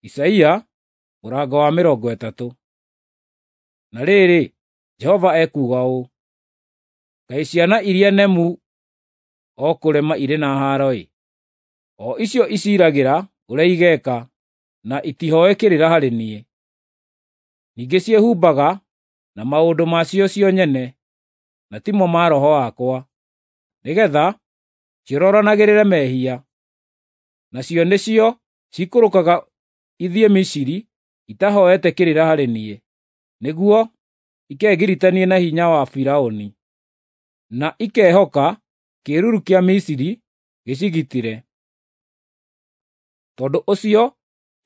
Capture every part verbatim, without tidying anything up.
Isaia mũrango wa mĩrongo ĩtatũ. Na rĩrĩ, Jehova ekuuga ũũ: Kaĩ ciana iria nemu o kũrema irĩ na haaro-ĩ, o icio iciiragĩra ũrĩa igeeka, na itihooe kĩrĩra harĩ niĩ. Ningĩ ciĩhumbaga na maũndũ ma cio cio nyene, na timo ma Roho wakwa, nĩgeetha ciororanagĩrĩre mehia. Nacio nĩcio ciikũrũkaga ithiĩ Misiri itahooete kĩrĩra harĩ niĩ, nĩguo ikegiritanie na hinya wa Firaũni, na ikehoka kĩĩruru kĩa Misiri gĩcigitĩre. Tondũ ũcio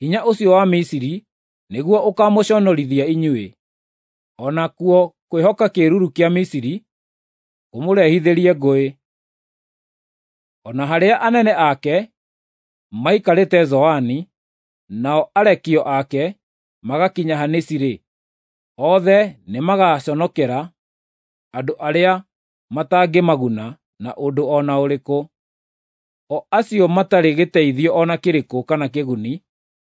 hinya ũcio wa Misiri nĩguo ũkaamũconorithia inyuĩ, o nakuo kwĩhoka kĩĩruru kĩa Misiri kũmũrehithĩrie ngũĩ. O na harĩa anene ake maikarĩte Zoani, nao arekio ake magakinya Hanisi-rĩ, othe nĩmagaconokera andũ arĩa matangĩmaguna na ũndũ o na ũrĩkũ, o acio matarĩ gĩteithio o na kĩrĩkũ kana kĩguni,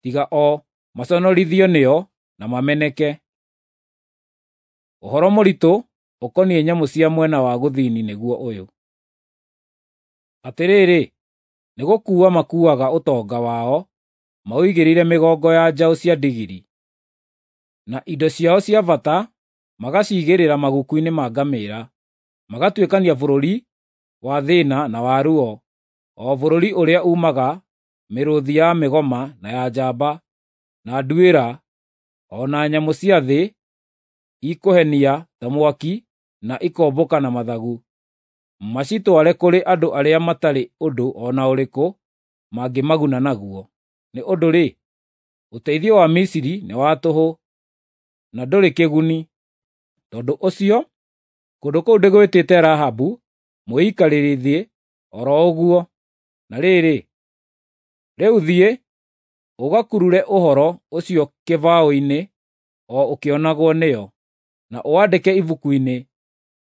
tiga o maconorithio nĩo na mameneke. Ũhoro mũritũ ũkoniĩ nyamũ cia mwena wa gũthini nĩguo ũyũ: Atĩrĩrĩ, nĩgũkuua makuuaga ũtonga wao maũigĩrĩire mĩgongo ya njaũ cia ndigiri, na indo ciao cia bata magaciigĩrĩra maguku-inĩ ma ngamĩĩra, magatuĩkania bũrũri wa thĩĩna na wa ruo, o bũrũri ũrĩa uumaga mĩrũũthi ya mĩgoma na ya njamba, na nduĩra, o na nyamũ cia thĩ ikũhenia ta mwaki na ikombũka na mathagu, macitware kũrĩ andũ arĩa matarĩ ũndũ o na ũrĩkũ mangĩmaguna naguo. Nĩ ũndũ-rĩ, ũteithio wa Misiri nĩ wa tũhũ, na ndũrĩ kĩguni. Tondũ ũcio kũndũ kũu ndĩgwĩtĩte Rahabu mwĩikarĩri o ro ũguo. Na rĩrĩ, rĩu thiĩ, ũgakurure ũhoro ũcio kĩbaũ-inĩ o ũkĩonagwo nĩo, na ũwandĩke ibuku-inĩ,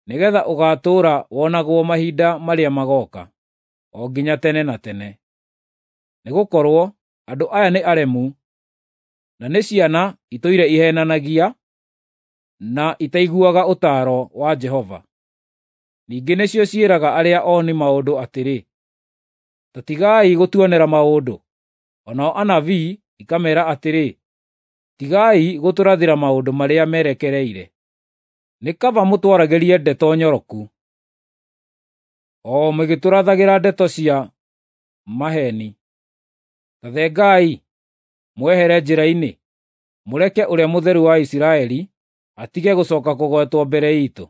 nĩgeetha ũgaatũũra wonagwo mahinda marĩa magooka, o nginya tene na tene. Nĩgũkorwo andũ aya nĩ aremu, na nĩ ciana itũire iheenanagia, na itaiguaga ũtaaro wa Jehova. Ningĩ nĩcio ciĩraga arĩa ooni maũndũ atĩrĩ, “Ta tigai gũtuonera maũndũ.” O nao anabii ikameera atĩrĩ, “Tigai gũtũrathĩra maũndũ marĩa merekereire. Nĩ kaba mũtwaragĩrie ndeto nyoroku, o mũgĩtũrathagĩra ndeto cia maheeni. Ta thengai, mwehere njĩra-inĩ, mũreke Ũrĩa Mũtheru wa Isiraeli atige gũcooka kũgwetwo mbere iitũ.”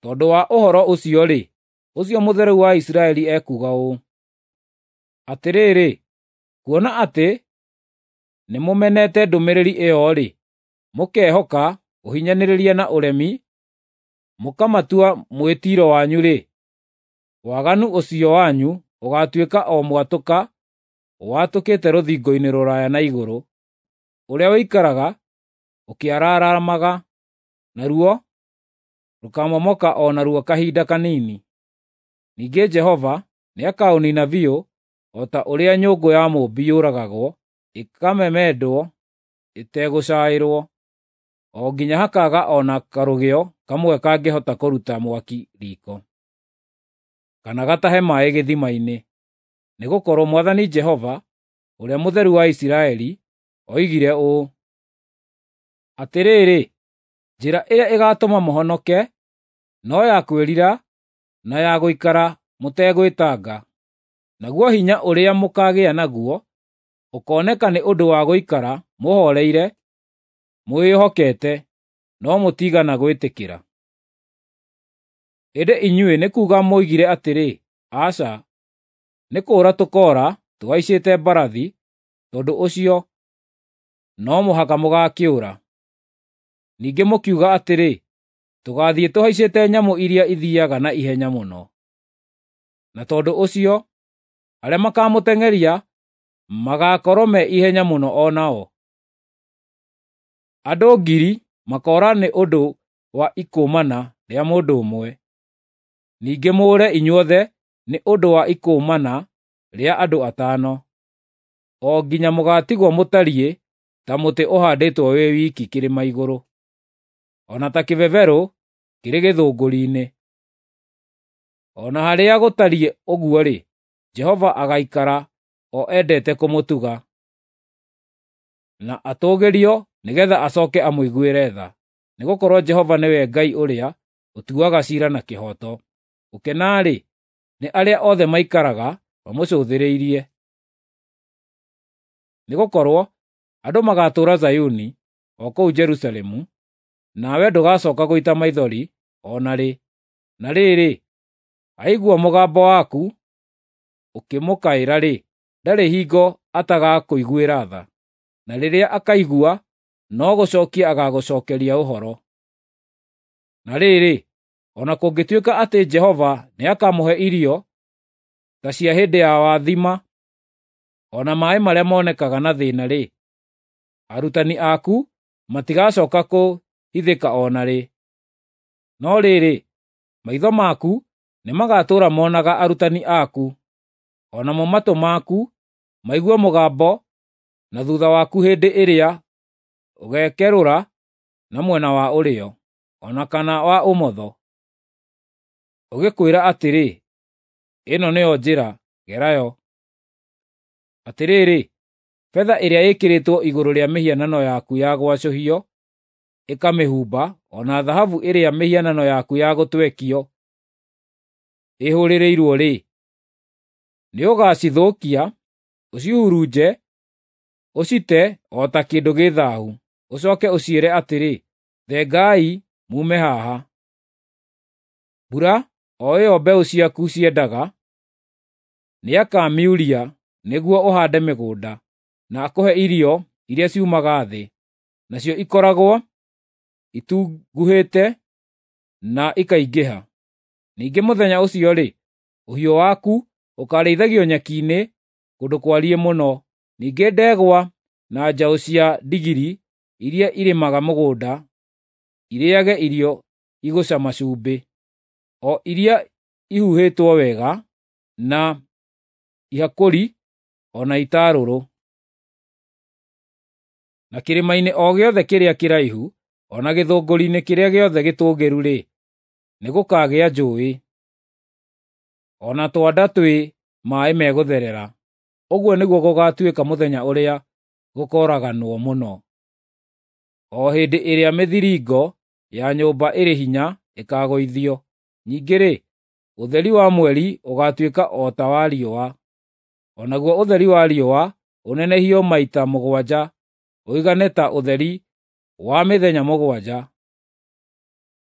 Tondũ wa ũhoro ũcio-rĩ, ũcio Mũtheru wa Isiraeli ekuuga ũũ: Atĩrĩrĩ, kuona atĩ nĩmũmenete ndũmĩrĩri ĩyo-rĩ, mũkehoka ũhinyanĩrĩria na ũremi, mũkamatua mwĩtiiro wanyu-rĩ, waganu ũcio wanyu ũgaatuĩka o mwatũka watũkĩte rũthingo-inĩ rũraya na igũrũ, ũrĩa ũikaraga ũkĩaraaramaga, naruo rũkamomoka o narua kahinda kanini. Ningĩ Jehova nĩakaũniina biũ o ta ũrĩa nyũngũ ya mũũmbi yũragagwo ĩkamemendwo ĩtegũcaĩrwo, o nginya hakaaga o na karũgĩo kamwe kangĩhota kũruta mwaki riiko, kana gatahe maaĩ gĩthima-inĩ. Nĩgũkorwo Mwathani Jehova, Ũrĩa Mũtheru wa Isiraeli, oigire ũũ: Atĩrĩrĩ, njĩra ĩrĩa ĩgaatũma mũhonoke no ya kwĩrira na ya gũikara mũtegwĩtanga. Naguo hinya ũrĩa mũkaagĩa naguo ũkooneka nĩ ũndũ wa gũikara mũhooreire mwĩhokete, no mũtiigana gwĩtĩkĩra. Ĩndĩ inyuĩ nĩ kuuga mwoigire atĩrĩ, “Aca, nĩ kũũra tũkoora tũhaicĩte mbarathi,” tondũ ũcio no mũhaka mũgaakĩũra. Ningĩ mũkiuga atĩrĩ, “Tũgaathiĩ tũhaicĩte nyamũ iria ithiiaga na ihenya mũno.” Na tondũ ũcio arĩa makaamũteng'eria magaakorwo me ihenya mũno o nao. Andũ ngiri makoora nĩ ũndũ wa ikũũmana rĩa mũndũ ũmwe, ningĩ mũũre inyuothe nĩ ũndũ wa ikũũmana rĩa andũ atano. o nginya mũgaatigwo mũtariĩ ta mũtĩ ũhandĩtwo wĩ wiki kĩrĩma igũrũ, o na ta kĩbeberũ kĩrĩ gĩthũngũri-inĩ. O na harĩa gũtariĩ ũguo-rĩ, Jehova agaikara o endete kũmũtuga, na atũũgĩrio nĩgeetha acooke amũiguĩre tha. Nĩgũkorwo Jehova nĩwe Ngai ũrĩa ũtuaga ciira na kĩhooto. Gũkena-rĩ, nĩ arĩa othe maikaraga mamũcũthĩrĩirie. Nĩgũkorwo andũ magaatũũra Zayuni, o kũu Jerusalemu, nawe ndũgacooka gũita maithori o na rĩ. Na rĩrĩ, aigua mũgambo waku ũkĩmũkaĩra-rĩ, ndarĩ hingo atagakũiguĩra tha, na rĩrĩa akaigua no gũcookia agaagũcookeria ũhoro. Na rĩrĩ, o na kũngĩtuĩka atĩ Jehova nĩakamũhe irio ta cia hĩndĩ ya wathima, o na maaĩ marĩa monekaga na thĩĩna-rĩ, arutani aku matigacooka kũhithĩka o na rĩ. No rĩrĩ, maitho maku nĩmagatũũra monaga arutani aku, o namo matũ maku maigue mũgambo na thuutha waku hĩndĩ ĩrĩa ũgeekerũra na mwena wa ũrĩo, o na kana wa ũmotho, ũgĩkwĩra atĩrĩ, “Ĩno nĩyo njĩra, gera yo.” Atĩrĩrĩ, betha ĩrĩa ĩĩkĩrĩtwo igũrũ rĩa mĩhianano yaku ya gwacũhio ĩkamĩhumba, o na thahabu ĩrĩa mĩhianano yaku ya gũtwekio ĩhũrĩrĩirwo-rĩ, nĩũgacithũkia, ũcihurunje, ũcite o ta kĩndũ gĩ thaahu. Ũcooke ũciĩre atĩrĩ, “Thengai muume haha.” Mbura, o ĩyo mbeũ ciaku ciendaga, nĩakamiuria nĩguo ũhaande mĩgũnda, na akũhe irio iria ciumaga thĩ, nacio ikoragwo itunguhĩte na ikaingĩha. Ningĩ mũthenya ũcio-rĩ, ũhiũ waku ũkaarĩithagio nyeki-inĩ kũndũ kwariĩ mũno. Ningĩ ndegwa na njaũ cia ndigiri iria irĩmaga mũgũnda irĩĩage irio igũcama cumbĩ, o iria ihuhĩtwo wega na ihakũri o na itarũrũ. Na kĩrĩma-inĩ o gĩothe kĩrĩa kĩraihu, o na gĩthũngũri-inĩ kĩrĩa gĩothe gĩtũũgĩru-rĩ, nĩgũkagĩa njũũĩ, o na twanda twĩ maaĩ megũtherera. Ũguo nĩguo gũgaatuĩka mũthenya ũrĩa gũkooraganwo mũno, o hĩndĩ ĩrĩa mĩthiringo ya nyũmba ĩrĩ hinya ĩkaagũithio. Ningĩ-rĩ, ũtheri wa mweri ũgaatuĩka o ta wa riũa, o naguo ũtheri wa riũa ũnenehio maita mũgwanja ũigane ta ũtheri wa mĩthenya mũgwanja,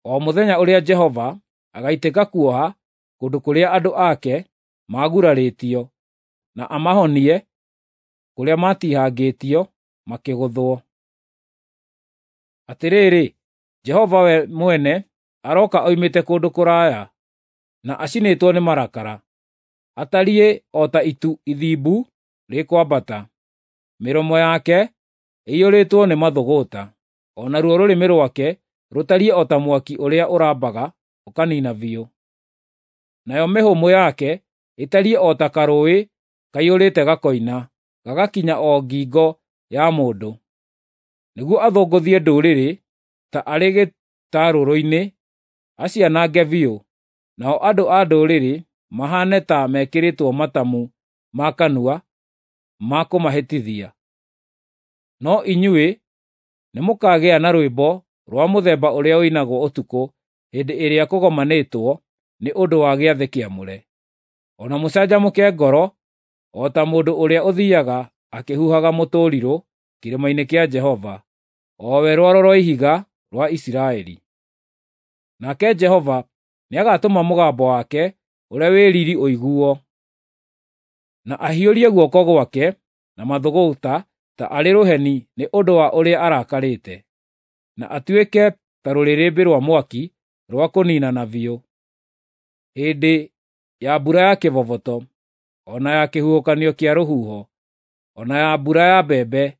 o mũthenya ũrĩa Jehova agaitĩka kuoha kũndũ kũrĩa andũ ake maagurarĩtio, na amahonie kũrĩa maatihangĩtio makĩgũthwo. Atĩrĩrĩ, Jehova we mwene arooka oimĩte kũndũ kũraya, na acinĩtwo nĩ marakara, atariĩ o ta itu ithimbu rĩkwambata. Mĩromo yake ĩiyũrĩtwo nĩ mathũgũta, o naruo rũrĩmĩ rwake rũtariĩ o ta mwaki ũrĩa ũrambaga ũkaniina biũ. Nayo mĩhũmũ yake ĩtariĩ o ta karũũĩ kaiyũrĩte gakoina, gagakinya o ngingo ya mũndũ, nĩguo athũngũthie ndũrĩrĩ ta arĩ gĩtarũrũ-inĩ, acianange biũ, nao andũ a ndũrĩrĩ mahaane ta mekĩrĩtwo matamu ma kanua ma kũmahĩtithia. No inyuĩ nĩmũkagĩa na rwĩmbo rwa mũthemba ũrĩa ũinagwo ũtukũ hĩndĩ ĩrĩa kũgomanĩtwo nĩ ũndũ wa gĩathĩ kĩamũre, o na mũcanjamũke ngoro o ta mũndũ ũrĩa ũthiiaga akĩhuhaga mũtũrirũ kĩrĩma-inĩ kĩa Jehova, o we Rwaro rwa Ihiga rwa Isiraeli. Nake Jehova nĩagatũma mũgambo wake ũrĩa wĩ riiri ũiguo, na ahiũrie guoko gwake na mathũgũta ta arĩ rũheni nĩ ũndũ wa ũrĩa arakarĩte, na atuĩke ta rũrĩrĩmbĩ rwa mwaki rwa kũniinana biũ hĩndĩ ya mbura ya kĩboboto, o na ya kĩhuhũkanio kĩa rũhuho, o na ya mbura ya mbembe,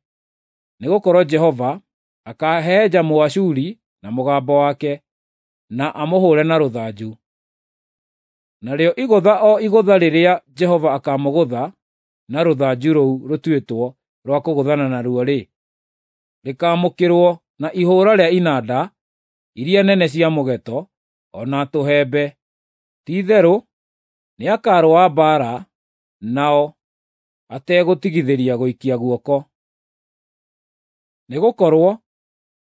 nĩgũkorwo Jehova akaahehenja Mũashuri na mũgambo wake, na amũhũũre na rũthanju. Narĩo igũtha o igũtha rĩrĩa Jehova akaamũgũtha na rũthanju rũu rũtuĩtwo rwa kũgũthana naruo-rĩ, rĩkaamũkĩrwo na ihũũra rĩa inanda iria nene cia mũgeeto, o na tũhembe. Ti-itherũ nĩakarũa mbaara nao ategũtigithĩria gũikia guoko. Nĩgũkorwo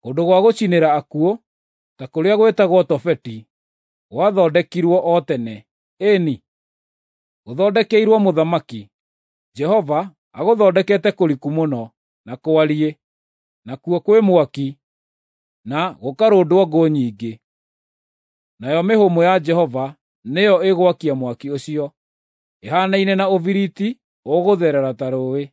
kũndũ gwa gũcinĩra akuũ, ta kũrĩa gwĩtagwo Tofeti, gwathondekirwo o tene, ĩĩ-ni, gũthondekeirwo mũthamaki. Jehova agũthondekete kũriku mũno na kwariĩ, nakuo kwĩ mwaki, na gũkarũndwo ngũ nyingĩ. Nayo mĩhũmũ ya Jehova nĩyo ĩgwakia mwaki ũcio, ĩhaanaine na ũbiriti ũgũtherera ta rũũĩ.